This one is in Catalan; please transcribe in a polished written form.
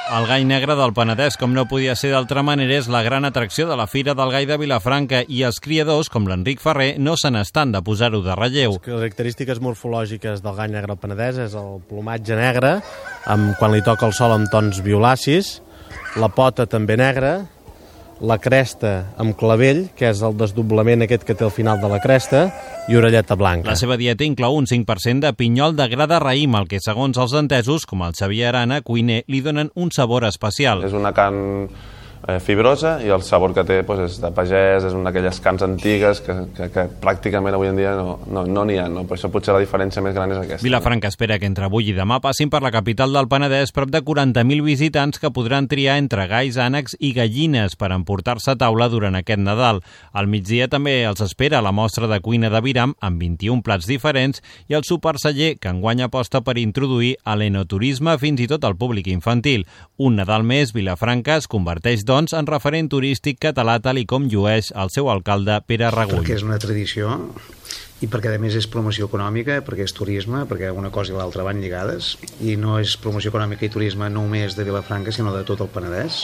El gall negre del Penedès, com no podia ser d'altra manera, és la gran atracció de la Fira del Gall de Vilafranca i els criadors, com l'Enric Ferrer, no se n'estan de posar-ho de relleu. Les característiques morfològiques del gall negre del Penedès és el plomatge negre, quan li toca el sol amb tons violacis, la pota també negra, la cresta amb clavell, que és el desdoblament aquest que té al final de la cresta, i orelleta blanca. La seva dieta inclou un 5% de pinyol de gra de raïm, el que, segons els entesos, com el Xavier Arana, cuiner, li donen un sabor especial. És una carn fibrosa i el sabor que té és de pagès, és una d'aquelles carns antigues que pràcticament avui en dia no n'hi ha, no? Per això potser la diferència més gran és aquesta. Vilafranca espera que entre avui i demà passin per la capital del Penedès prop de 40.000 visitants que podran triar entre galls, ànecs i gallines per emportar-se a taula durant aquest Nadal. Al migdia també els espera la mostra de cuina de Viram amb 21 plats diferents i el sopar celler, que enguany aposta per introduir a l'enoturisme fins i tot al públic infantil. Un Nadal més, Vilafranca es converteix en referent turístic català, tal i com llueix el seu alcalde Pere Regull. Perquè és una tradició i perquè a més és promoció econòmica, perquè és turisme, perquè una cosa i l'altra van lligades, i no és promoció econòmica i turisme només de Vilafranca, sinó de tot el Penedès.